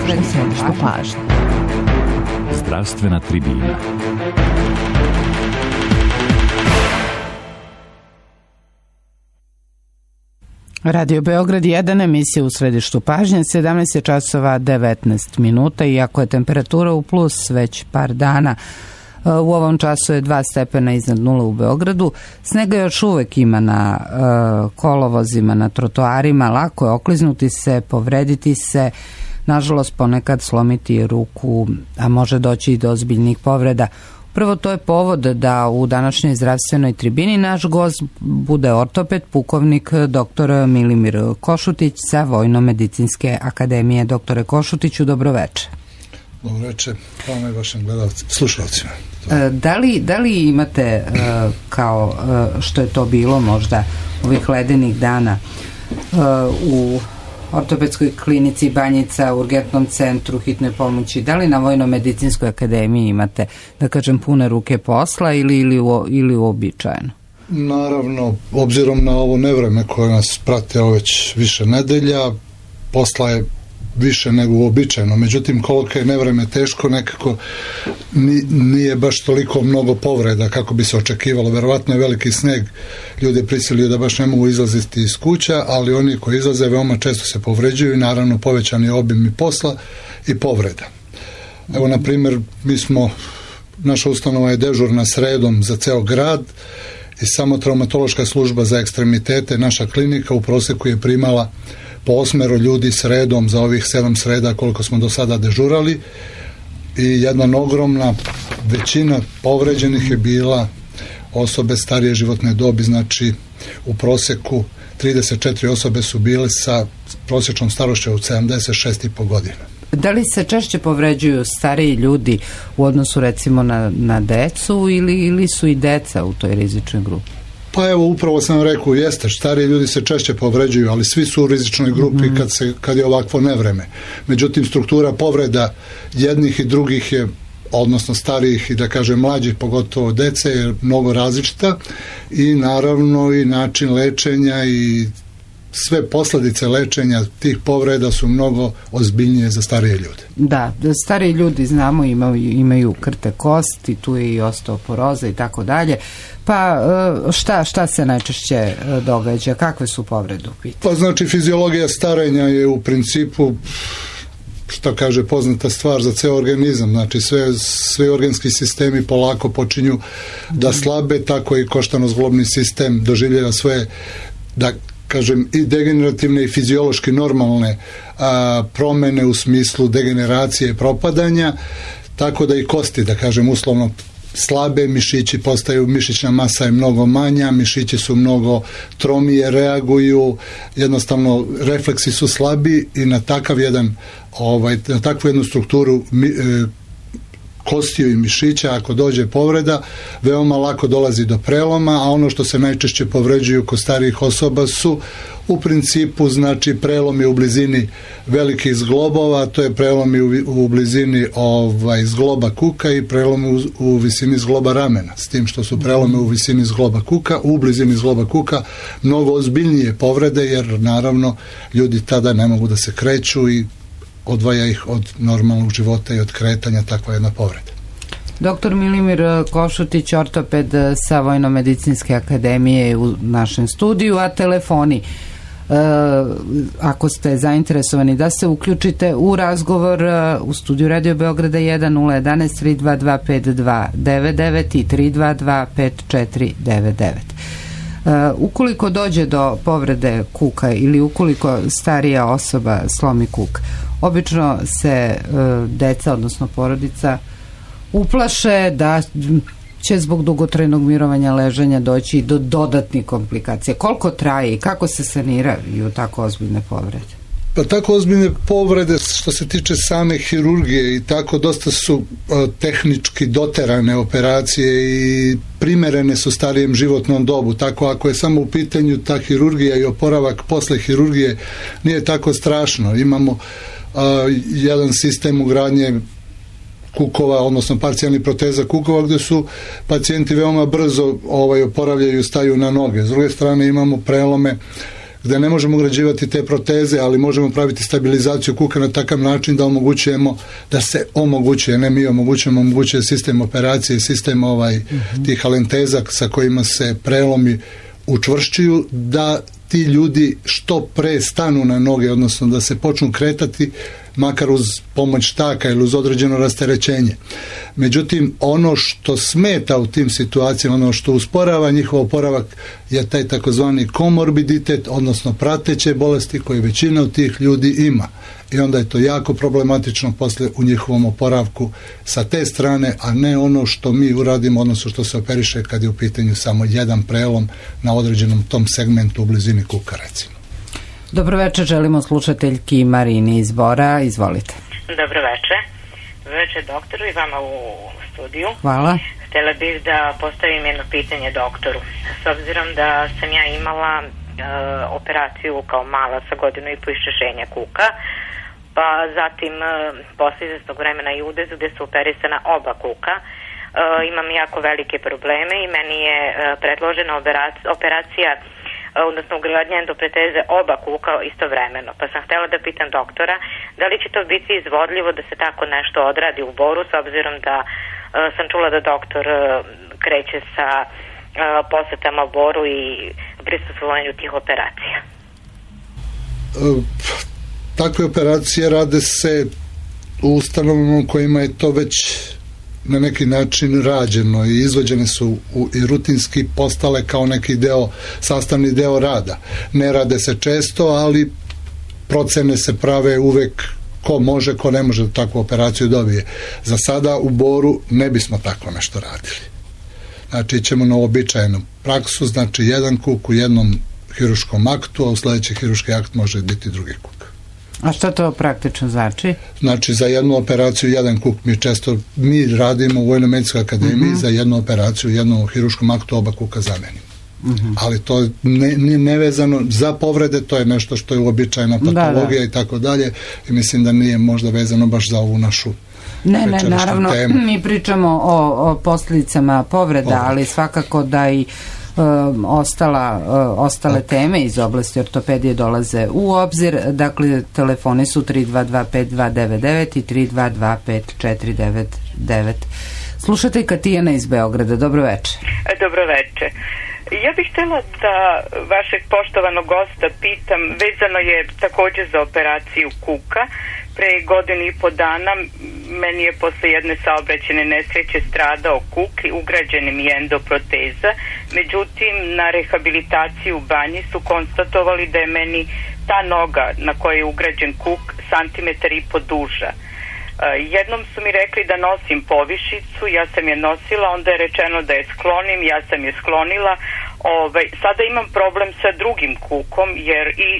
središtu pažnje. Zdravstvena tribina. Radio Beograd 1, emisija u središtu pažnje, 17 časova 19 minuta, iako je temperatura u plus već par dana. U ovom času je 2 stepena iznad nula u Beogradu. Snega još uvek ima na kolovozima, na trotoarima, lako je okliznuti se, povrediti se, nažalost ponekad slomiti ruku, a može doći i do ozbiljnih povreda. Prvo, to je povod da u današnjoj zdravstvenoj tribini naš gost bude ortoped, pukovnik dr. Milimir Košutić sa Vojno-medicinske akademije. Doktore Košutiću, dobroveče. Dobroveče, hvala i vašim slušalcima. Da li imate, kao što je to bilo možda ovih ledenih dana, u ortopedskoj klinici Banjica, urgentnom centru hitne pomoći, da li na Vojno-medicinskoj akademiji imate, da kažem, pune ruke posla ili uobičajeno? Naravno, obzirom na ovo nevreme koje nas prate već više nedelja, posla je više nego uobičajeno. Međutim, koliko je nevreme teško, nekako nije baš toliko mnogo povreda kako bi se očekivalo. Verovatno je veliki sneg, ljude prisilio da baš ne mogu izlaziti iz kuća, ali oni koji izlaze veoma često se povređuju i naravno povećan je obim i posla i povreda. Evo, na primjer, naša ustanova je dežurna sredom za ceo grad i samo traumatološka služba za ekstremitete, naša klinika u proseku je primala po 8 ljudi sredom za ovih 7 sreda koliko smo do sada dežurali i jedna ogromna većina povređenih je bila osobe starije životne dobi, znači u proseku 34 osobe su bile sa prosječnom starošću od 76,5 godina. Da li se češće povređuju stariji ljudi u odnosu recimo na decu ili su i deca u toj rizičnoj grupi? Pa evo, upravo sam rekao, jeste, stariji ljudi se češće povređuju, ali svi su u rizičnoj grupi kad je ovakvo nevreme. Međutim, struktura povreda jednih i drugih je, odnosno starijih i da kažem mlađih, pogotovo dece, je mnogo različita i naravno i način lečenja i sve posljedice lečenja tih povreda su mnogo ozbiljnije za starije ljude. Da, stariji ljudi, znamo, imaju krte kosti, tu je i osteoporoza i tako dalje. Pa šta se najčešće događa? Kakve su povrede u pitanju? Pa znači, fiziologija starenja je u principu, što kaže, poznata stvar za ceo organizam. Znači, sve organski sistemi polako počinju da slabe, tako i koštano-zglobni sistem doživljava svoje, da kažem, i degenerativne i fiziološki normalne promene u smislu degeneracije i propadanja, tako da i kosti, da kažem, uslovno slabe, mišići postaju, mišićna masa je mnogo manja, mišići su mnogo tromije, reaguju, jednostavno refleksi su slabi i na na takvu jednu strukturu kostiju i mišića, ako dođe povreda, veoma lako dolazi do preloma, a ono što se najčešće povređuju kod starijih osoba su u principu, znači, prelomi u blizini velikih zglobova, to je prelomi u blizini zgloba kuka i prelomi u visini zgloba ramena, s tim što su prelomi u visini zgloba kuka, u blizini zgloba kuka mnogo ozbiljnije povrede, jer naravno ljudi tada ne mogu da se kreću i odvaja ih od normalnog života i od kretanja takva jedna povreda. Doktor Milimir Košutić, ortoped sa Vojno-medicinske akademije u našem studiju, a telefoni, ako ste zainteresovani da se uključite u razgovor u studiju Radio Beograda 1 011 322 5299 i 322 5499. Ukoliko dođe do povrede kuka ili ukoliko starija osoba slomi kuk, obično se deca, odnosno porodica, uplaše da će zbog dugotrajnog mirovanja ležanja doći do dodatnih komplikacija. Koliko traje i kako se saniraju tako ozbiljne povrede? Pa tako ozbiljne povrede, što se tiče same hirurgije i tako, dosta su tehnički doterane operacije i primerene su starijem životnom dobu. Tako ako je samo u pitanju ta hirurgija i oporavak posle hirurgije, nije tako strašno. Imamo jedan sistem ugradnje kukova, odnosno parcijalnih proteza kukova, gdje su pacijenti veoma brzo oporavljaju, staju na noge. S druge strane imamo prelome gde ne možemo ugrađivati te proteze, ali možemo praviti stabilizaciju kuka na takav način da omogućujemo, da se omogućuje, ne mi omogućuje sistem operacije, sistem tih alenteza sa kojima se prelomi učvršćuju, da ti ljudi što pre stanu na noge, odnosno da se počnu kretati, makar uz pomoć štaka ili uz određeno rasterećenje. Međutim, ono što smeta u tim situacijama, ono što usporava njihov oporavak je taj takozvani komorbiditet, odnosno prateće bolesti koje većina od tih ljudi ima. I onda je to jako problematično posle u njihovom oporavku sa te strane, a ne ono što mi uradimo, odnosno što se operiše kad je u pitanju samo jedan prelom na određenom tom segmentu u blizini kuka, recimo. Dobro večer, želimo slušateljki Marini iz Bora, izvolite. Dobro večer. Dobro večer doktoru i vama u studiju. Hvala. Htjela bih da postavim jedno pitanje doktoru. S obzirom da sam ja imala operaciju kao mala sa 1.5 godina iščešenja kuka, pa zatim posle izvesnog vremena i udezu gde su operisana oba kuka, imam jako velike probleme i meni je predložena operacija, odnosno ugradnja endoproteze oba kuka istovremeno. Pa sam htjela da pitam doktora da li će to biti izvodljivo da se tako nešto odradi u Boru, s obzirom da sam čula da doktor kreće sa posetama u Boru i prisustvovanju tih operacija. Takve operacije rade se u ustanovama u kojima je to već na neki način rađeno i izvođene su i rutinski postale kao neki sastavni deo rada. Ne rade se često, ali procene se prave uvek ko može, ko ne može da takvu operaciju dobije. Za sada u Boru ne bismo tako nešto radili. Znači, ćemo na uobičajenu praksu, znači jedan kuk u jednom hiruškom aktu, a u sledeći hiruški akt može biti drugi kuk. A šta to praktično znači? Znači, za jednu operaciju jedan kuk mi radimo u Vojno-medicinskoj akademiji, za jednu operaciju u jednom hiruškom aktu oba kuka zamenimo. Ali to nije nevezano za povrede, to je nešto što je uobičajena patologija i tako dalje, i mislim da nije možda vezano baš za ovu našu naravno temu. Mi pričamo o posljedicama povreda, ali svakako da i ostale teme iz oblasti ortopedije dolaze u obzir. Dakle, telefoni su 3225299 i 3225499. Slušateljka Tijana iz Beograda, dobro večer. Dobro večer. Ja bih htjela da vašeg poštovanog gosta pitam, vezano je također za operaciju kuka. Pre 1.5 godina meni je posle jedne saobraćajne nesreće stradao kuk i ugrađena mi je endoproteza. Međutim, na rehabilitaciji u banji su konstatovali da je meni ta noga na kojoj je ugrađen kuk 1,5 centimetar duža. Jednom su mi rekli da nosim povišicu, ja sam je nosila, onda je rečeno da je sklonim, ja sam je sklonila. Sada imam problem sa drugim kukom, jer i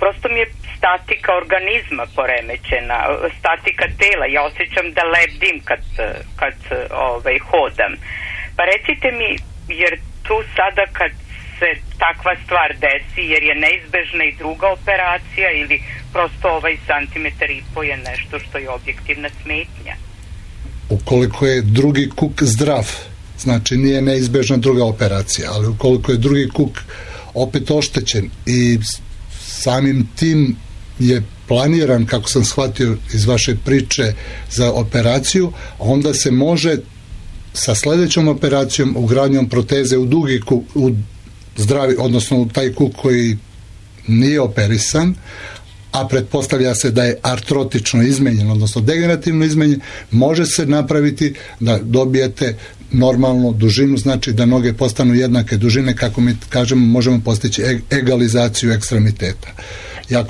prosto mi je statika organizma poremećena, statika tela, ja osjećam da lebdim kad hodam. Pa recite mi, jer tu sada kad se takva stvar desi, jer je neizbežna i druga operacija, ili prosto 1,5 centimetar je nešto što je objektivna smetnja? Ukoliko je drugi kuk zdrav, znači nije neizbežna druga operacija, ali ukoliko je drugi kuk opet oštećen i samim tim je planiran, kako sam shvatio iz vaše priče, za operaciju, onda se može sa sledećom operacijom, ugradnjom proteze u dugi kuk, u zdravi, odnosno u taj kuk koji nije operisan, a pretpostavlja se da je artrotično izmenjen, odnosno degenerativno izmenjen, može se napraviti da dobijete normalnu dužinu, znači da noge postanu jednake dužine, kako mi kažemo, možemo postići egalizaciju ekstremiteta. Ja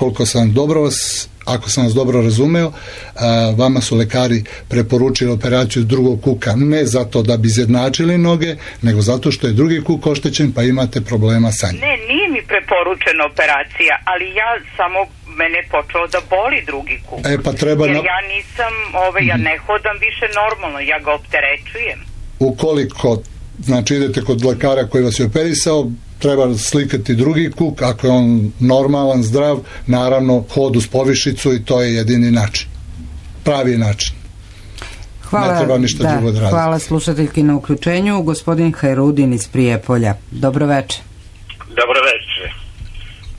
ako sam vas dobro razumeo, vama su lekari preporučili operaciju drugog kuka, ne zato da bi izjednačili noge, nego zato što je drugi kuk oštećen, pa imate problema sa njim. Ne, nije mi preporučena operacija, ali mene je počelo da boli drugi kuk. Pa treba jer ja nisam, ja ne hodam više normalno, ja ga opterećujem. Ukoliko, znači, idete kod lekara koji vas je operisao, treba slikati drugi kuk, ako je on normalan, zdrav, naravno hod uz povišicu, i to je jedini način, pravi način. Hvala, ne treba ništa drugo da radi. Hvala slušateljki na uključenju. Gospodin Hajrudin iz Prijepolja, dobro večer. Dobro večer.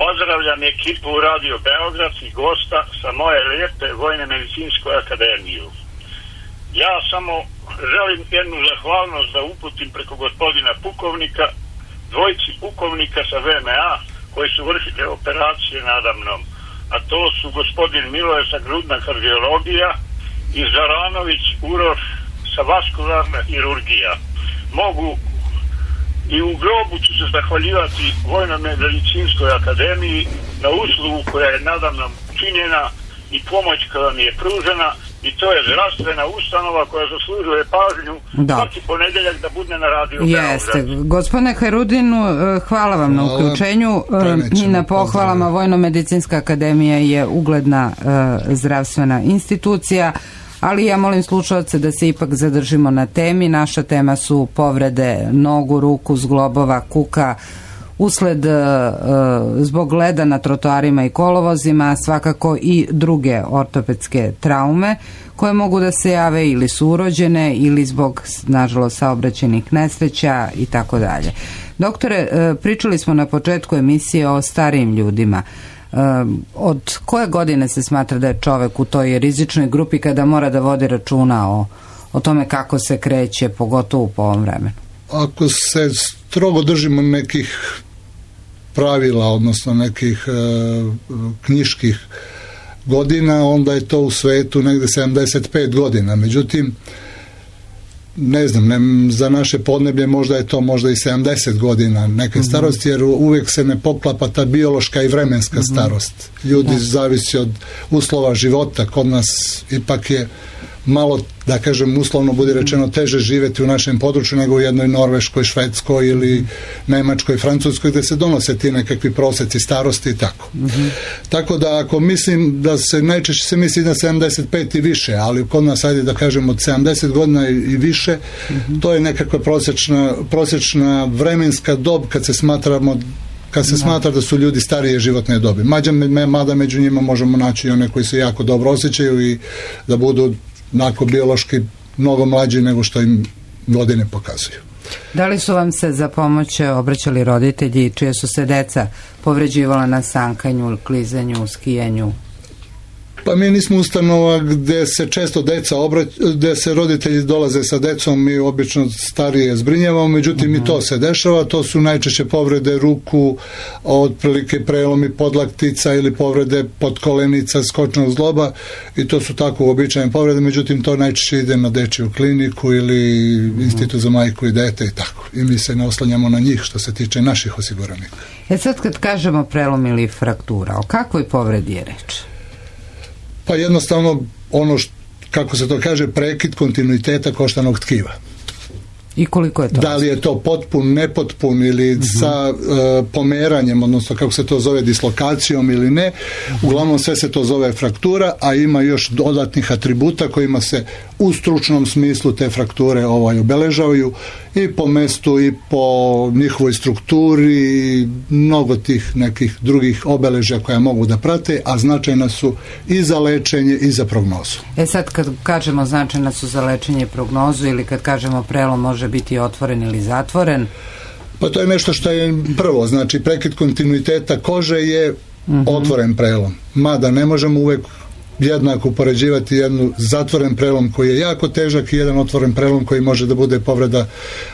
Pozdravljam ekipu Radio Beograd i gosta sa moje lijepe Vojne medicinske akademije. Ja samo želim jednu zahvalnost da uputim preko gospodina pukovnika, dvojici pukovnika sa VMA koji su vršili operacije nadamnom, a to su gospodin Miloje sa grudna kardiologija i Zaranović Uroš sa vaskularna hirurgija. Mogu i u grobu ću se zahvaljivati Vojnoj medicinskoj akademiji na uslugu koja je nadamnom činjena i pomoć koja mi je pružena, i to je zdravstvena ustanova koja zaslužuje pažnju svaki ponedjeljak da bude na Radio Beograd. Jeste. Gospodine Hairudinu, hvala vam na uključenju i na pohvalama. Vojno-medicinska akademija je ugledna zdravstvena institucija, ali ja molim slušalce da se ipak zadržimo na temi. Naša tema su povrede nogu, ruku, zglobova, kuka, usled zbog leda na trotoarima i kolovozima, svakako i druge ortopedske traume koje mogu da se jave ili su urođene ili zbog, nažalost, saobraćajnih nesreća i tako dalje. Doktore, pričali smo na početku emisije o starijim ljudima. Od koje godine se smatra da je čovek u toj rizičnoj grupi kada mora da vodi računa o tome kako se kreće, pogotovo po ovom vremenu? Ako se strogo držimo nekih pravila, odnosno nekih knjiških godina, onda je to u svetu negde 75 godina. Međutim, ne znam, za naše podneblje možda je to možda i 70 godina neke starosti, jer uvijek se ne poklapa ta biološka i vremenska starost. Ljudi zavisi od uslova života. Kod nas ipak je malo, da kažem, uslovno bude rečeno, teže živjeti u našem području nego u jednoj Norveškoj, Švedskoj ili Nemačkoj, Francuskoj, gdje se donose ti nekakvi prosjeci starosti i tako. Tako da ako mislim da se najčešće se misli na 75 i više, ali kod nas, ajde da kažem, od 70 godina i više, to je nekakva prosječna vremenska dob kad se smatra da su ljudi starije životne dobi. Mada među njima možemo naći i one koji se jako dobro osjećaju i da budu onako biološki mnogo mlađi nego što im godine pokazuju. Da li su vam se za pomoć obraćali roditelji čije su se deca povređivala na sankanju, klizanju, skijanju? Pa mi nismo ustanova gdje se često gdje se roditelji dolaze sa decom, mi obično starije zbrinjavamo, međutim i to se dešava. To su najčešće povrede ruku, otprilike prelomi podlaktica ili povrede podkolenica, skočnog zgloba, i to su tako uobičajene povrede, međutim to najčešće ide na dečiju kliniku ili institut za majku i dete i tako. I mi se ne oslanjamo na njih što se tiče naših osiguranika. Sad kad kažemo prelom ili fraktura, o kakvoj povredi je reč? Pa jednostavno kako se to kaže, prekid kontinuiteta koštanog tkiva. I koliko je to? Da li je to potpun, nepotpun ili sa pomeranjem, odnosno kako se to zove, dislokacijom ili ne. Uglavnom sve se to zove fraktura, a ima još dodatnih atributa kojima se u stručnom smislu te frakture obeležavaju i po mestu i po njihovoj strukturi i mnogo tih nekih drugih obeležja koja mogu da prate, a značajna su i za lečenje i za prognozu. Sad kad kažemo značajna su za lečenje i prognozu, ili kad kažemo prelom može biti otvoren ili zatvoren? Pa to je nešto što je prvo, znači prekid kontinuiteta kože je otvoren prelom, mada ne možemo uvek jednako upoređivati jednu zatvoren prelom koji je jako težak i jedan otvoren prelom koji može da bude povreda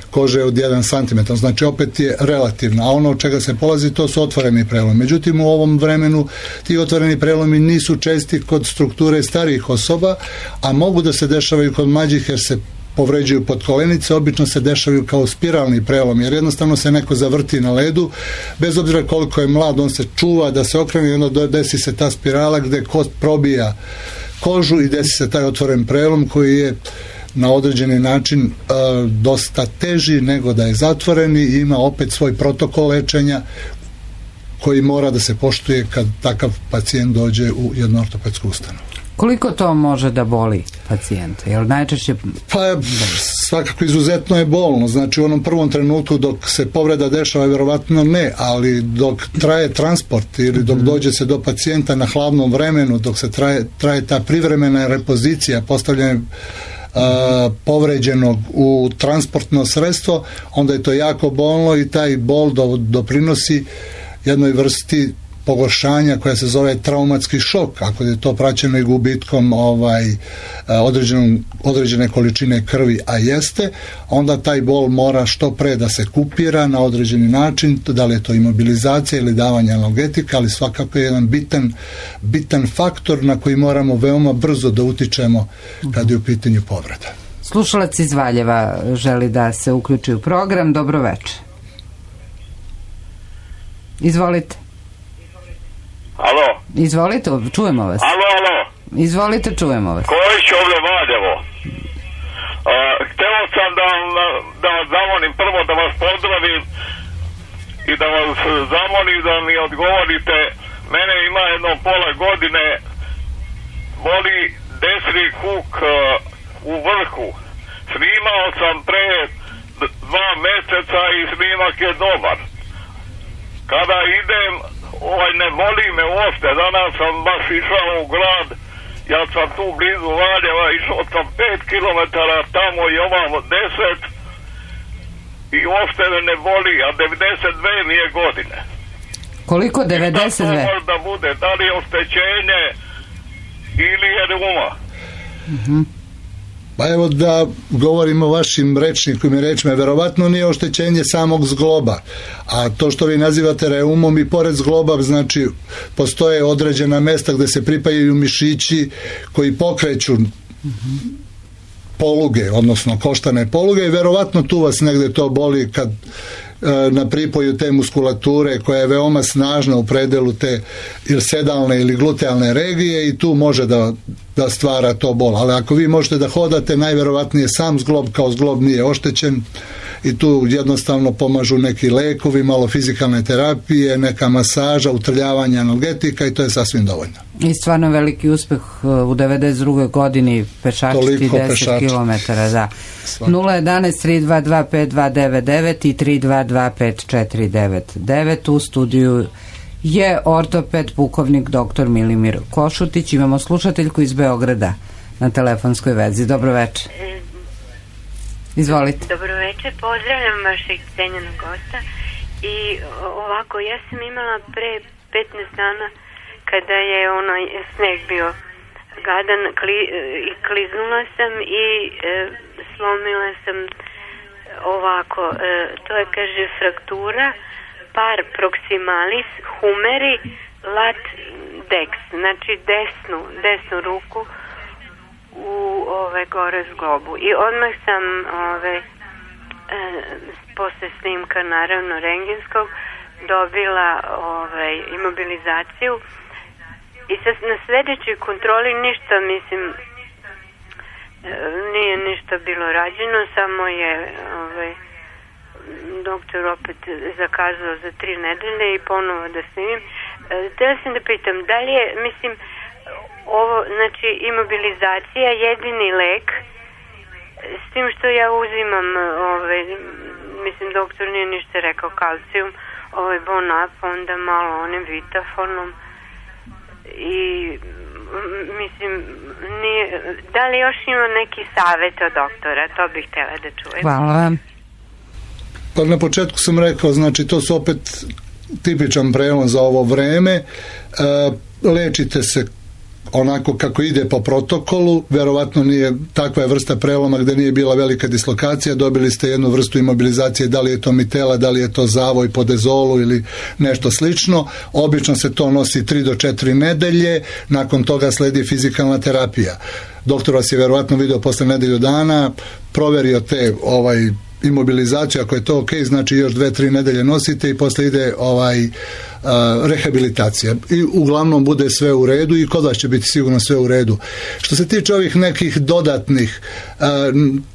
kože od 1 cm. Znači opet je relativno, a ono od čega se polazi to su otvoreni prelomi. Međutim u ovom vremenu ti otvoreni prelomi nisu česti kod strukture starijih osoba, a mogu da se dešavaju kod mlađih jer se povređuju podkolenice, obično se dešavaju kao spiralni prelom, jer jednostavno se neko zavrti na ledu, bez obzira koliko je mlad, on se čuva da se okrene i onda desi se ta spirala gde kost probija kožu i desi se taj otvoren prelom koji je na određeni način dosta teži nego da je zatvoren i ima opet svoj protokol lečenja koji mora da se poštuje kad takav pacijent dođe u jednu ortopedsku ustanovu. Koliko to može da boli pacijenta? Jer najčešće... Pa svakako izuzetno je bolno. Znači u onom prvom trenutku dok se povreda dešava vjerovatno ne, ali dok traje transport ili dok dođe se do pacijenta na hladnom vremenu, dok se traje ta privremena repozicija, postavljanje povređenog u transportno sredstvo, onda je to jako bolno i taj bol doprinosi jednoj vrsti pogoršanja koja se zove traumatski šok, ako je to praćeno i gubitkom određene količine krvi, a jeste, onda taj bol mora što pre da se kupira na određeni način, da li je to imobilizacija ili davanje analgetika, ali svakako je jedan bitan faktor na koji moramo veoma brzo da utičemo kad je u pitanju povreda. Slušalac iz Valjeva želi da se uključi u program. Dobro večer. Izvolite. Alo. Izvolite, čujemo vas. Alo. Izvolite, čujemo vas. Kojić ovdje Valjevo. Hteo sam da vas zamolim prvo da vas pozdravim i da vas zamolim da mi odgovorite. Mene ima jedno pola godine, boli desni kuk u vrhu. Snimao sam pre 2 mjeseca i snimak je dobar. Kada idem, ne boli me uopšte. Danas sam baš išao u grad, ja sam tu blizu Valjeva, išao sam 5 km tamo i ovamo 10 i uopšte me ne boli, a 92 mi je godine. Koliko 92? Šta to možda bude? Da li je oštećenje ili je reuma? Pa evo da govorimo o vašim rečnikom i rečima, verovatno nije oštećenje samog zgloba, a to što vi nazivate reumom i pored zgloba, znači postoje određena mesta gde se pripajaju mišići koji pokreću poluge, odnosno koštane poluge, i verovatno tu vas negde to boli kad na pripoju te muskulature koja je veoma snažna u predelu te ili sedalne ili glutealne regije, i tu može da stvara to bol. Ali ako vi možete da hodate, najverovatnije sam zglob kao zglob nije oštećen i tu jednostavno pomažu neki lekovi, malo fizikalne terapije, neka masaža, utrljavanje analgetika, i to je sasvim dovoljno. I stvarno veliki uspeh u 92. godini pešačiti 10 km, da. 011-322-5299 i 322-5499. U studiju je ortoped pukovnik dr. Milimir Košutić. Imamo slušateljku iz Beograda na telefonskoj vezi. Dobro večer. Izvolite. Dobro večer, pozdravljam vašeg cenjenog gosta. I ovako, ja sam imala pre 15 dana kada je onaj sneg bio gadan i kliznula sam i slomila sam ovako, to je, kaže, fraktura par proximalis humeri lat dex, znači desnu ruku u gore zglobu, i odmah sam posle snimka, naravno rengenskog, dobila imobilizaciju, i sad na sledećoj kontroli ništa, mislim, nije ništa bilo rađeno, samo je doktor opet zakazao za 3 nedelje i ponovo da snimim. Htela sam da pitam, da li je, mislim, ovo, znači, imobilizacija jedini lek, s tim što ja uzimam, mislim, doktor nije ništa rekao, kalcijum, Bonap, onda malo onim vitafonom, i mislim, nije, da li još ima neki savjet od doktora, to bih htjela da čujem. Hvala vam. Pa na početku sam rekao, znači to su opet tipičan prelom za ovo vreme. Lečite se onako kako ide po protokolu, verovatno nije takva vrsta preloma gde nije bila velika dislokacija, dobili ste jednu vrstu imobilizacije, da li je to mitela, da li je to zavoj po dezolu ili nešto slično. Obično se to nosi 3 do 4 nedelje, nakon toga sledi fizikalna terapija. Doktor vas je verovatno video posle nedelju dana, proverio te imobilizaciju, ako je to ok, znači još 2-3 nedelje nosite i posle ide rehabilitacija. I uglavnom bude sve u redu i kod vas će biti sigurno sve u redu. Što se tiče ovih nekih dodatnih,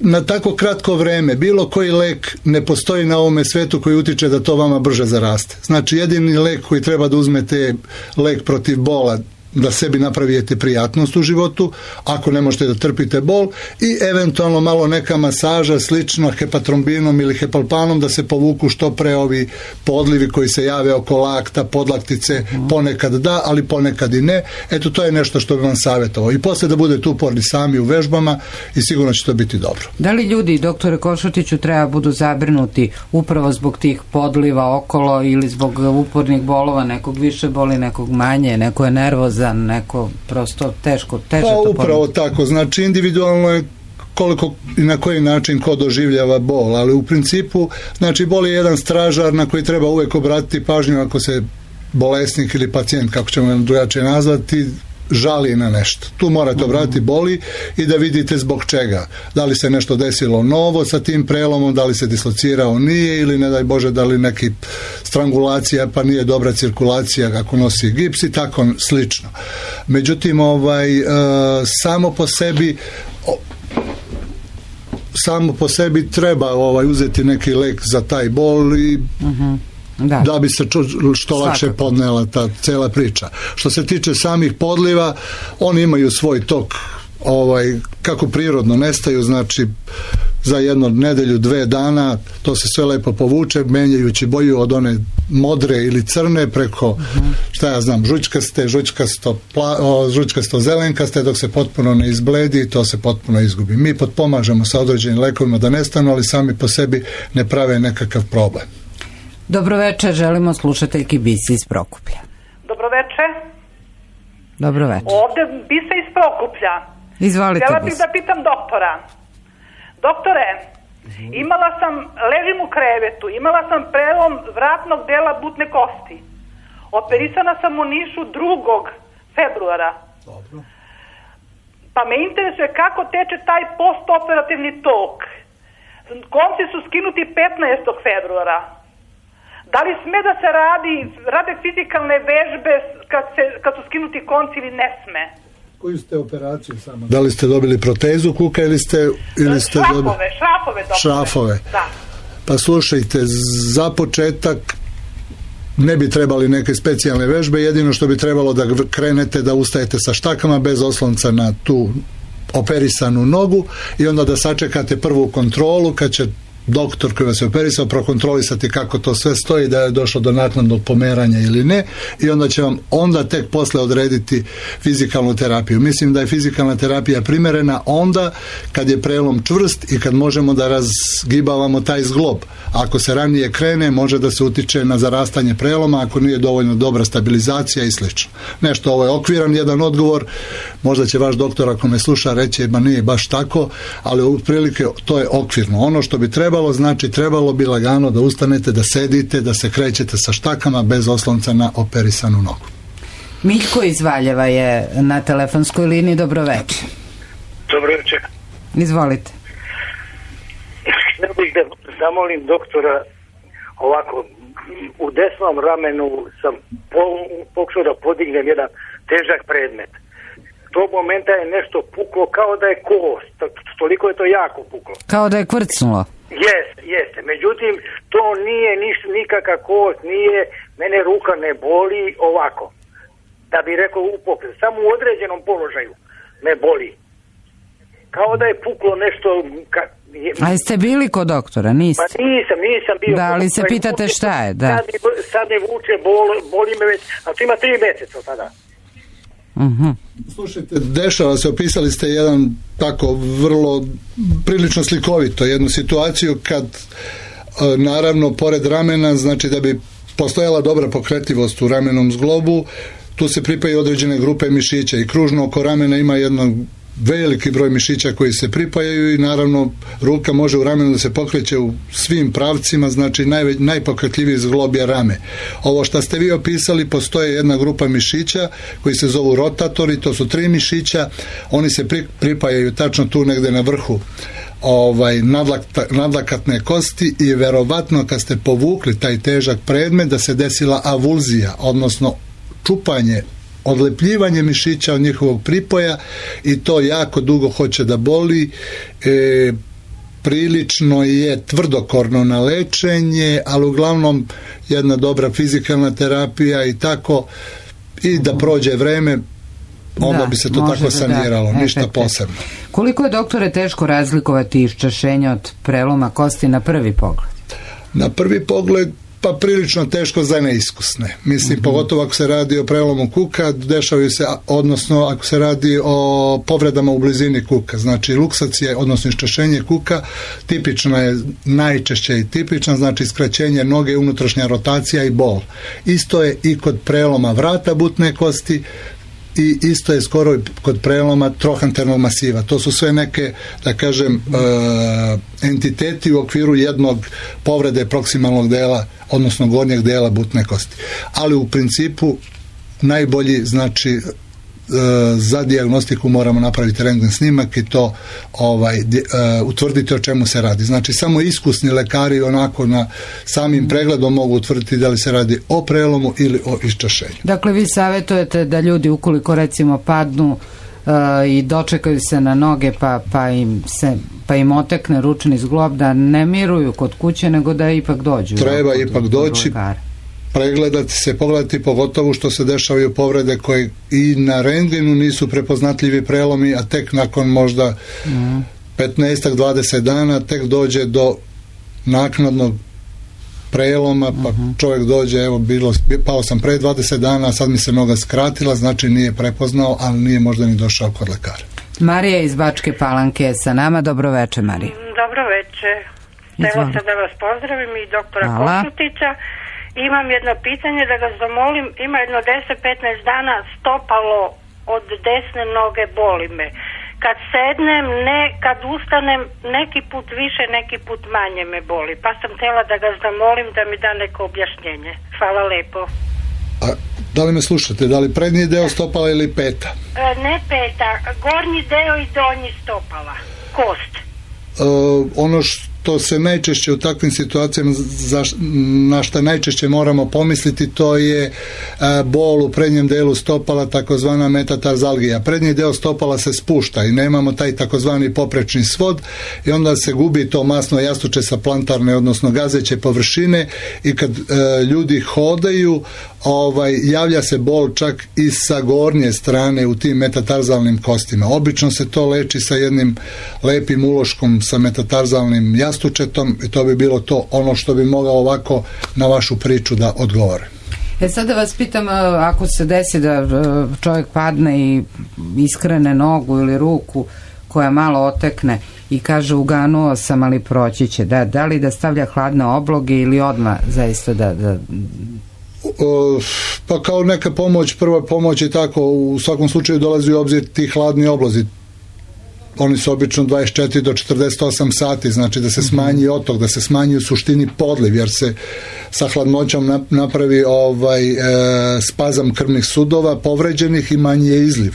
na tako kratko vreme, bilo koji lek ne postoji na ovome svetu koji utiče da to vama brže zaraste. Znači, jedini lek koji treba da uzmete je lek protiv bola da sebi napravite prijatnost u životu, ako ne možete da trpite bol, i eventualno malo neka masaža slično hepatrombinom ili hepalpanom da se povuku što pre ovi podlivi koji se jave oko lakta, podlaktice, ponekad da, ali ponekad i ne. Eto, to je nešto što bi vam savjetovao. I posle da budete uporni sami u vežbama i sigurno će to biti dobro. Da li ljudi, doktore Košutiću, treba budu zabrinuti upravo zbog tih podliva okolo ili zbog upornih bolova, nekog više boli, nekog manje, neko je nervozan, neko prosto teže to upravo tako, znači individualno je koliko i na koji način ko doživljava bol, ali u principu, znači bol je jedan stražar na koji treba uvek obratiti pažnju ako se bolesnik ili pacijent, kako ćemo drugačije nazvati, žali na nešto. Tu morate obratiti boli i da vidite zbog čega. Da li se nešto desilo novo sa tim prelomom, da li se dislocirao nije, ili ne daj Bože da li neki strangulacija pa nije dobra cirkulacija ako nosi gips i tako slično. Međutim, samo po sebi treba uzeti neki lek za taj bol i da bi se što lakše podnela ta cela priča. Što se tiče samih podliva, oni imaju svoj tok, kako prirodno nestaju, znači za jednu nedelju, 2 dana, to se sve lepo povuče, menjajući boju od one modre ili crne preko, šta ja znam, žučkasto zelenkaste, dok se potpuno ne izbledi i to se potpuno izgubi. Mi potpomažemo sa određenim lekovima da nestanu, ali sami po sebi ne prave nekakav problem. Dobroveče, želimo slušateljki Bisi iz Prokuplja. Dobroveče. Dobroveče. Ovde Bisa iz Prokuplja. Izvolite, htjela bih da pitam doktora. Doktore, ležim u krevetu, imala sam prelom vratnog dela butne kosti. Operisana sam u Nišu 2. februara. Dobro. Pa me interesuje kako teče taj postoperativni tok. Konci su skinuti 15. februara. Da li sme da se rade fizikalne vežbe kad su skinuti konci ili ne sme? Koju ste operaciju samo? Da li ste dobili protezu kuka ili ste šrafove? Da. Pa slušajte, za početak ne bi trebali neke specijalne vežbe, jedino što bi trebalo da krenete da ustajete sa štakama bez oslonca na tu operisanu nogu i onda da sačekate prvu kontrolu kad će doktor koji vas je operisao prokontrolisati kako to sve stoji, da je došlo do naknadnog pomeranja ili ne, i onda će vam tek posle odrediti fizikalnu terapiju. Mislim da je fizikalna terapija primerena onda kad je prelom čvrst i kad možemo da razgibavamo taj zglob. Ako se ranije krene, može da se utiče na zarastanje preloma ako nije dovoljno dobra stabilizacija i slično. Nešto, ovo je okviran jedan odgovor, možda će vaš doktor ako me sluša reći ma nije baš tako, ali otprilike to je okvirno. Ono što bi trebalo bi lagano da ustanete, da sedite, da se krećete sa štakama bez oslonca na operisanu nogu. Miljko iz Valjeva je na telefonskoj liniji. Dobroveče. Dobroveče. Izvolite. Htio bih da zamolim doktora ovako, u desnom ramenu sam pokušao da podignem jedan težak predmet. Tog momenta je nešto puklo kao da je kost, toliko je to jako puklo. Kao da je kvrcnulo. Jeste. Međutim, to nije nikakav kost, mene ruka ne boli ovako. Da bi rekao upokret, samo u određenom položaju me boli. Kao da je puklo nešto... A jeste bili kod doktora, niste? Pa nisam bio. Da, ali se pitate šta je, da. Sad me vuče, boli me već, a to ima 3 mjeseca sada. Slušajte, dešava se, opisali ste jedan tako vrlo prilično slikovito jednu situaciju kad naravno pored ramena, znači da bi postojala dobra pokretljivost u ramenom zglobu, tu se pripaju određene grupe mišića i kružno oko ramena ima jedno veliki broj mišića koji se pripajaju i naravno ruka može u ramenu da se pokreće u svim pravcima, znači najpokretljiviji zglob je rame. Ovo što ste vi opisali, postoje jedna grupa mišića koji se zovu rotatori, to su 3 mišića, oni se pripajaju tačno tu negde na vrhu nadlakatne kosti i verovatno kad ste povukli taj težak predmet da se desila avulzija, odnosno čupanje, odlepljivanje mišića od njihovog pripoja i to jako dugo hoće da boli. Prilično je tvrdokorno na lečenje, ali uglavnom jedna dobra fizikalna terapija i tako, i da prođe vreme, onda bi se to tako saniralo, ništa posebno. Koliko je, doktore, teško razlikovati iščašenje od preloma kosti na prvi pogled? Na prvi pogled pa prilično teško za neiskusne. Mislim, pogotovo ako se radi o prelomu kuka, dešavaju se, odnosno ako se radi o povredama u blizini kuka. Znači, luksacija, odnosno iščašenje kuka, tipično je, najčešće i tipično, znači skraćenje noge, unutrašnja rotacija i bol. Isto je i kod preloma vrata butne kosti, i isto je skoro kod preloma trohanternog masiva. To su sve neke, da kažem, entiteti u okviru jednog povrede proksimalnog dela, odnosno gornjeg dela butne kosti. Ali u principu najbolji, znači, za dijagnostiku moramo napraviti rentgen snimak i to utvrditi o čemu se radi. Znači, samo iskusni lekari onako na samim pregledom mogu utvrditi da li se radi o prelomu ili o iščašenju. Dakle, vi savjetujete da ljudi, ukoliko recimo padnu i dočekaju se na noge pa im otekne ručni zglob, da ne miruju kod kuće, nego da ipak dođu. Treba ipak doći, pregledati se, pogledati, pogotovo što se dešavaju povrede koje i na rentgenu nisu prepoznatljivi prelomi, a tek nakon možda 15-20 dana tek dođe do naknadnog preloma, pa čovjek dođe, evo, pao sam pre 20 dana, sad mi se noga skratila, znači nije prepoznao, ali nije možda ni došao kod lekara. Marija iz Bačke Palanke je sa nama. Dobro veče, Marija. Dobro veče. Htjela sam da vas pozdravim i doktora Košutića. Imam jedno pitanje da ga zamolim. Ima jedno 10-15 dana stopalo od desne noge boli me. Kad sednem, kad ustanem, neki put više, neki put manje me boli. Pa sam htjela da ga zamolim da mi da neko objašnjenje. Hvala lepo. A da li me slušate? Da li prednji deo stopala ili peta? Ne peta, gornji deo i donji stopala. Kost. Ono što se najčešće u takvim situacijama, na što najčešće moramo pomisliti, to je bol u prednjem delu stopala, takozvana metatarzalgija. Prednji deo stopala se spušta i nemamo taj takozvani poprečni svod i onda se gubi to masno jastuče sa plantarne, odnosno gazeće površine, i kad ljudi hodaju, javlja se bol čak i sa gornje strane u tim metatarzalnim kostima. Obično se to leči sa jednim lepim uloškom sa metatarzalnim jastučetom i to bi bilo to, ono što bi mogao ovako na vašu priču da odgovore. Sad da vas pitam, ako se desi da čovjek padne i iskrene nogu ili ruku koja malo otekne i kaže uganuo sam, ali proći će, da li da stavlja hladne obloge ili odmah zaista da... Pa kao neka pomoć, prva pomoć i tako, u svakom slučaju dolazi u obzir ti hladni oblozi. Oni su obično 24 do 48 sati, znači da se smanji otok, da se smanji u suštini podliv, jer se sa hladnoćom napravi spazam krvnih sudova povređenih i manji je izliv.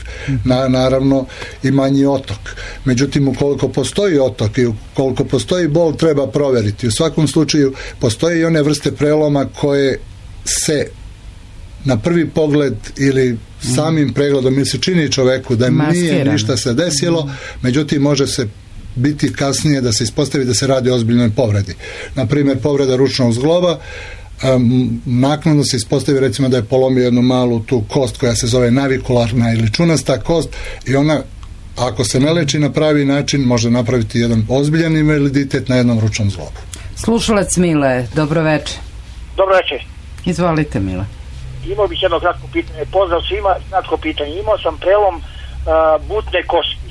Naravno i manji otok. Međutim, ukoliko postoji otok i ukoliko postoji bol, treba provjeriti. U svakom slučaju postoje i one vrste preloma koje se na prvi pogled ili samim pregledom ili se čini čoveku da nije ništa se desilo, međutim može se biti kasnije da se ispostavi da se radi o ozbiljnoj povredi. Na primjer, povreda ručnog zgloba, naknadno se ispostavi recimo da je polomio jednu malu tu kost koja se zove navikularna ili čunasta kost i ona, ako se ne leči na pravi način, može napraviti jedan ozbiljan invaliditet na jednom ručnom zglobu. Slušalac Mile, dobro večer. Dobro večer. Izvolite, Mile. Imao bih jedno kratko pitanje. Pozdrav svima, kratko pitanje. Imao sam prelom butne kosti.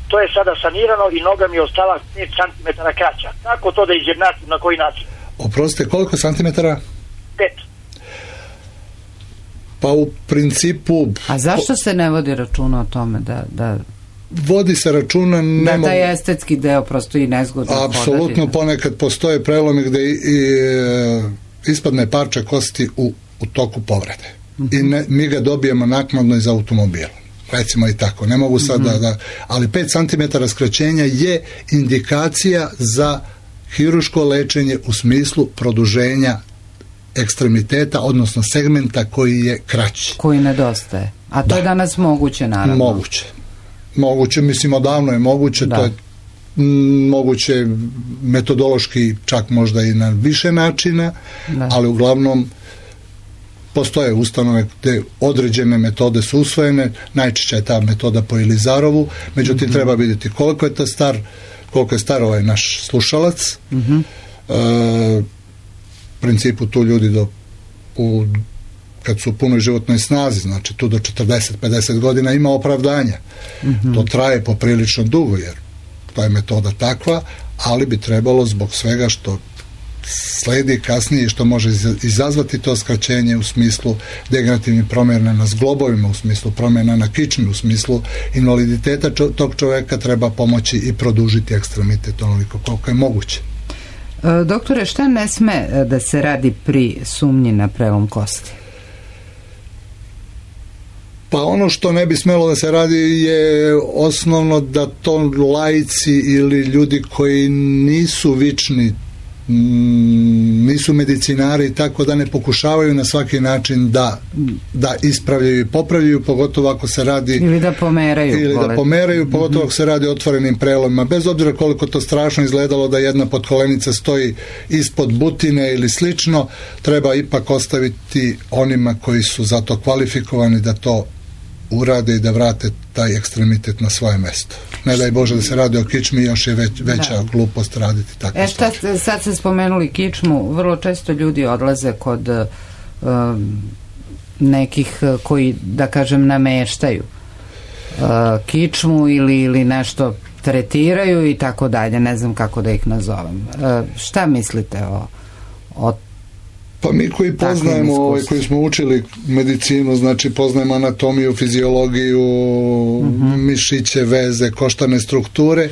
To je sada sanirano i noga mi je ostala 5 cm kraća. Kako to da izjednačim, na koji način? Oprostite, koliko santimetara? 5. Pa u principu... A zašto se ne vodi računa o tome da vodi se računa... Da taj estetski deo prosto i nezgodno podati? Apsolutno, ponekad postoje prelomi gde ispadne parče kosti u toku povrede. I mi ga dobijemo naknadno iz automobila. Recimo i tako. Ne mogu sad ali 5 cm skraćenja je indikacija za hiruško lečenje u smislu produženja ekstremiteta, odnosno segmenta koji je kraći. Koji nedostaje. A to je danas moguće, naravno. Moguće, mislim, odavno je moguće, to je moguće metodološki čak možda i na više načina, ali uglavnom postoje ustanove gde određene metode su usvojene, najčešće je ta metoda po Ilizarovu, međutim treba vidjeti koliko je star ovaj naš slušalac. U principu tu ljudi kad su u punoj životnoj snazi, znači tu do 40-50 godina ima opravdanja. To traje poprilično dugo, jer to je metoda takva, ali bi trebalo zbog svega što sledi kasnije i što može izazvati to skraćenje u smislu degenerativnih promjena na zglobovima, u smislu promjena na kičmi, u smislu invaliditeta tog čovjeka treba pomoći i produžiti ekstremitet onoliko koliko je moguće. Doktore, šta ne sme da se radi pri sumnji na prelom kosti? Pa ono što ne bi smelo da se radi je osnovno da to laici ili ljudi koji nisu vični, nisu medicinari, tako da ne pokušavaju na svaki način da ispravljaju i popravljaju, pogotovo ako se radi ili da pomeraju, pogotovo ako se radi o otvorenim prelomima, bez obzira koliko to strašno izgledalo da jedna potkolenica stoji ispod butine ili slično, treba ipak ostaviti onima koji su za to kvalifikovani da to urade i da vrate taj ekstremitet na svoje mesto. Ne daj Bože da se radi o kičmi, još je veća glupost raditi tako. Sad ste spomenuli kičmu, vrlo često ljudi odlaze kod nekih koji, da kažem, nameštaju kičmu ili nešto tretiraju i tako dalje, ne znam kako da ih nazovem. Šta mislite o pa mi koji poznajemo, koji smo učili medicinu, znači poznajemo anatomiju, fiziologiju, mišiće, veze, koštane strukture,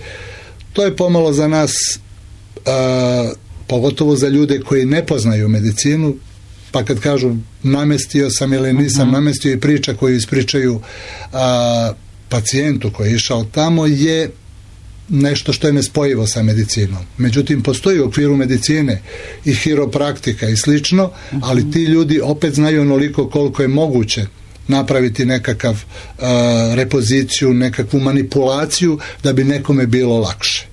to je pomalo za nas, pogotovo za ljude koji ne poznaju medicinu, pa kad kažu namestio sam ili nisam namestio, i priča koju ispričaju pacijentu koji je išao tamo je nešto što je nespojivo sa medicinom. Međutim, postoji u okviru medicine i hiropraktika i slično, ali ti ljudi opet znaju onoliko koliko je moguće napraviti nekakav repoziciju, nekakvu manipulaciju da bi nekome bilo lakše.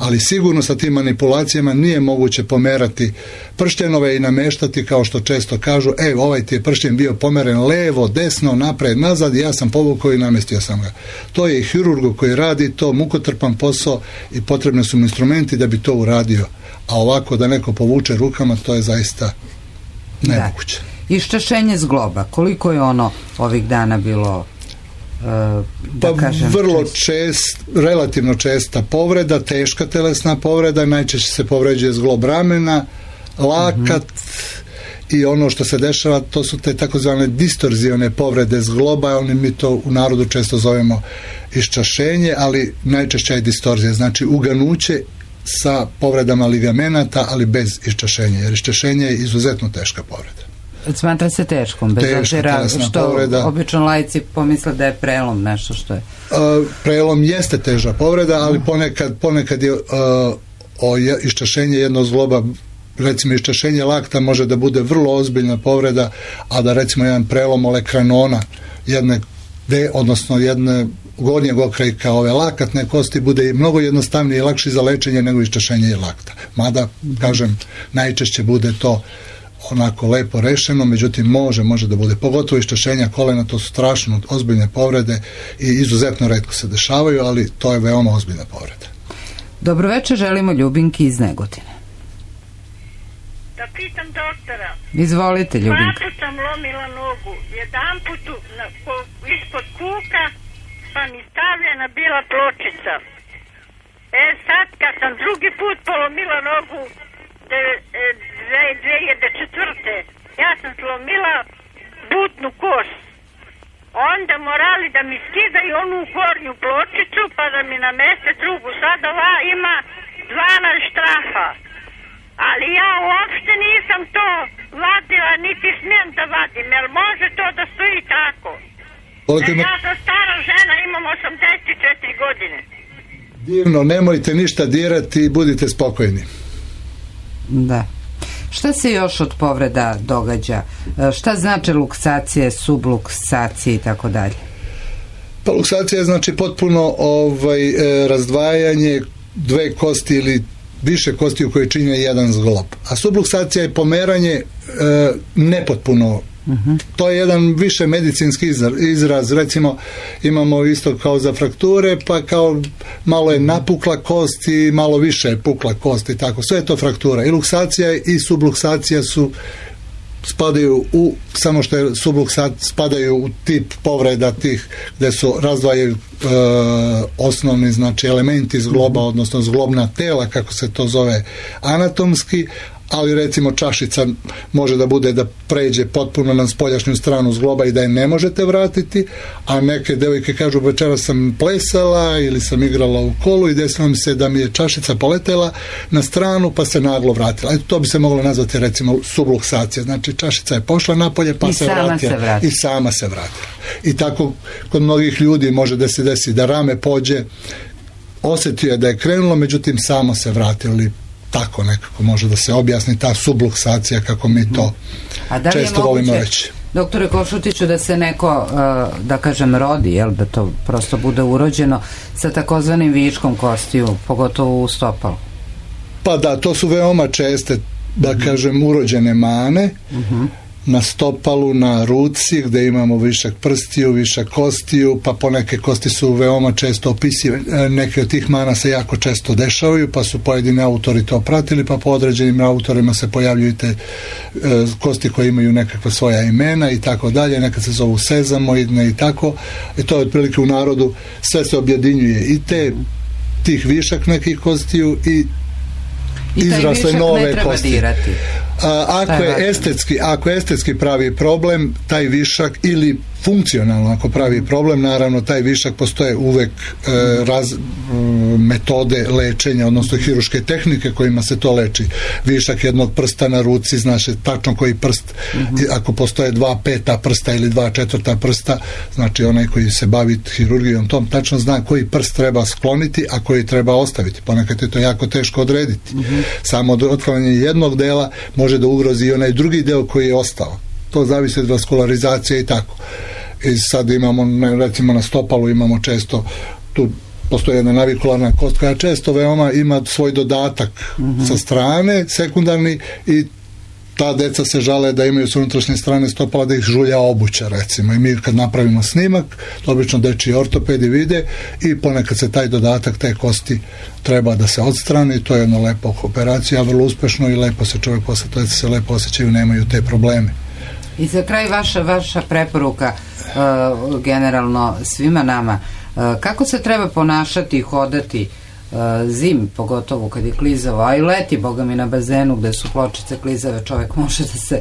Ali sigurno sa tim manipulacijama nije moguće pomerati pršljenove i nameštati, kao što često kažu, ovaj ti je pršljen bio pomeren levo, desno, napred, nazad, ja sam povukao i namestio sam ga. To je i hirurgu koji radi to, mukotrpan posao i potrebni su mu instrumenti da bi to uradio. A ovako da neko povuče rukama, to je zaista nemoguće. Iščašenje zgloba, koliko je ono ovih dana bilo vrlo relativno česta povreda, teška telesna povreda, najčešće se povređuje zglob ramena, lakat i ono što se dešava, to su te takozvane distorzione povrede zgloba, mi to u narodu često zovemo iščašenje, ali najčešće je distorzija, znači uganuće sa povredama ligamenata, ali bez iščašenja, jer iščašenje je izuzetno teška povreda. Smatra se teškom, bez obzira što povreda. Obično laici pomisle da je prelom nešto što je. Prelom jeste teža povreda, ali ponekad je iščašenje jednog zgloba, recimo iščašenje lakta može da bude vrlo ozbiljna povreda, a da recimo jedan prelom olekranona jedne gornjeg okrajka ove lakatne kosti bude mnogo jednostavnije i lakši za lečenje nego iščašenje lakta. Mada, kažem, najčešće bude to onako lepo rešeno, međutim može da bude, pogotovo iščašenja kolena, to su strašno ozbiljne povrede i izuzetno retko se dešavaju, ali to je veoma ozbiljna povreda. Dobroveče, želimo Ljubinki iz Negotina. Da pitam doktora. Izvolite, Ljubinka. Dva sam lomila nogu, jedan put ispod kuka, pa mi stavljena bila pločica. Sad kad sam drugi put polomila nogu 2004. ja sam slomila butnu kost. Onda morali da mi skidaju onu gornju pločicu pa da mi nameste drugu. Sad ova ima 12 štrafa. Ali ja uopšte nisam to vadila, niti smijem da vadim, jer može to da stoji tako. Ja sam stara žena, imam 84 godine. Divno, nemojte ništa dirati i budite spokojni. Da. Šta se još od povreda događa? Šta znači luksacije, subluksacije i tako dalje? Pa luksacija znači potpuno razdvajanje dve kosti ili više kosti u koje čine jedan zglob. A subluksacija je pomeranje nepotpuno To je jedan više medicinski izraz. Recimo imamo isto kao za frakture, pa kao malo je napukla kost i malo više je pukla kost i tako. Sve je to fraktura. I luksacija i subluksacija spadaju u, samo što je spadaju u tip povreda tih gdje su razdvajaju osnovni, znači, elementi zgloba, odnosno zglobna tela, kako se to zove anatomski, ali recimo čašica može da bude da pređe potpuno na spoljašnju stranu zgloba i da je ne možete vratiti, a neke devojke kažu večeras sam plesala ili sam igrala u kolu i desilo mi se da mi je čašica poletela na stranu pa se naglo vratila. Eto, to bi se moglo nazvati recimo subluksacija, znači čašica je pošla napolje pa se vratila i sama se vratila. I tako kod mnogih ljudi može da se desi da rame pođe, osjetio je da je krenulo, međutim samo se vratilo, ili tako nekako može da se objasni ta subluksacija, kako mi to često volimo reći. Doktore Košutiću, da se neko, da kažem, rodi, jel, da to prosto bude urođeno sa takozvanim viškom kostiju, pogotovo u stopalu? Pa da, to su veoma česte, da kažem, urođene mane na stopalu, na ruci, gde imamo višak prstiju, višak kostiju, pa poneke kosti su veoma često opisive. Neke od tih mana se jako često dešavaju, pa su pojedini autori to pratili, pa po određenim autorima se pojavljuju te kosti koje imaju nekakva svoja imena i tako dalje, nekad se zovu sezamoidne i tako. I to je otprilike u narodu, sve se objedinjuje i tih višak nekih kostiju i izrasle nove kosti. Ako je estetski pravi problem, taj višak, ili funkcionalno ako pravi problem, naravno taj višak, postoje uvek metode lečenja, odnosno hiruške tehnike kojima se to leči. Višak jednog prsta na ruci, znaš tačno koji prst, ako postoje 2 5 prsta ili 2 4 prsta, znači onaj koji se bavi hirurgijom tom tačno zna koji prst treba skloniti, a koji treba ostaviti. Ponekad je to jako teško odrediti. Samo otklanjanje jednog dela može da ugrozi i onaj drugi deo koji je ostao. To zavisi od vaskularizacije i tako. I sad imamo, recimo na stopalu imamo često, tu postoji jedna navikularna kost koja često veoma ima svoj dodatak sa strane, sekundarni, i ta deca se žale da imaju s unutrašnje strane stopala da ih žulja obuća, recimo. I mi kad napravimo snimak, to obično dečiji ortopedi vide i ponekad se taj dodatak, te kosti treba da se odstrani. To je jedna lepa operacija, vrlo uspešno, i lepo se čovjek posle toga se lepo osjećaju, nemaju te probleme. I za kraj vaša preporuka generalno svima nama, kako se treba ponašati i hodati zimi, pogotovo kad je klizavo, a i leti, boga mi, na bazenu gde su pločice klizave, čovjek može da se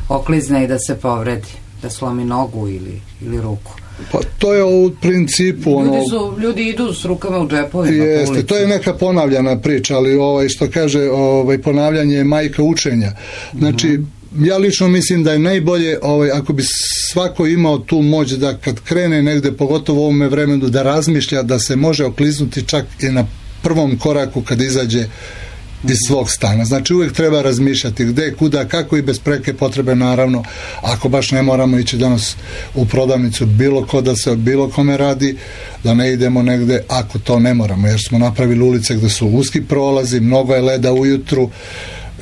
oklizne i da se povredi, da slomi nogu ili ruku. Pa to je u principu ljudi idu s rukama u džepovima. Jeste, to je neka ponavljana priča, ali što kaže, ponavljanje je majka učenja. Znači, ja lično mislim da je najbolje, ako bi svako imao tu moć da kad krene negde, pogotovo u ovome vremenu, da razmišlja da se može okliznuti čak i na prvom koraku kad izađe iz svog stana. Znači uvijek treba razmišljati gde, kuda, kako, i bez preke potrebe, naravno, ako baš ne moramo ići danas u prodavnicu bilo ko da se o bilo kome radi, da ne idemo negde ako to ne moramo, jer smo napravili ulice gde su uski prolazi, mnogo je leda ujutru,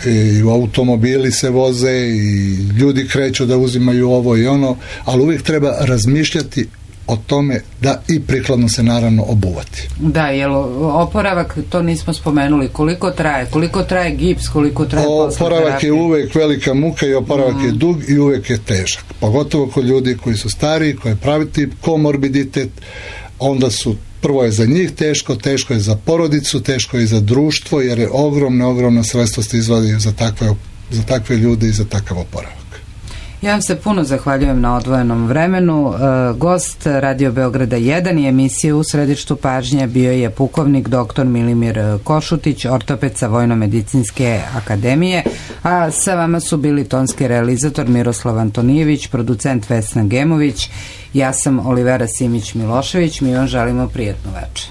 i automobili se voze i ljudi kreću da uzimaju ovo i ono, ali uvijek treba razmišljati o tome da i prikladno se naravno obuvati. Da, jer oporavak, to nismo spomenuli, koliko traje gips, koliko traje posle terapije? Oporavak je uvijek velika muka i oporavak je dug i uvijek je težak, pogotovo kod ljudi koji su stariji, koji pravi tip komorbiditet, onda su, prvo je za njih teško je za porodicu, teško je za društvo, jer je ogromna sredstva se izvadaju za takve ljude i za takav oporavak. Ja vam se puno zahvaljujem na odvojenom vremenu. Gost Radio Beograda 1 i emisije U središtu pažnje bio je pukovnik dr. Milimir Košutić, ortoped sa Vojno-medicinske akademije, a sa vama su bili tonski realizator Miroslav Antonijević, producent Vesna Gemović, ja sam Olivera Simić Milošević. Mi vam želimo prijatnu večer.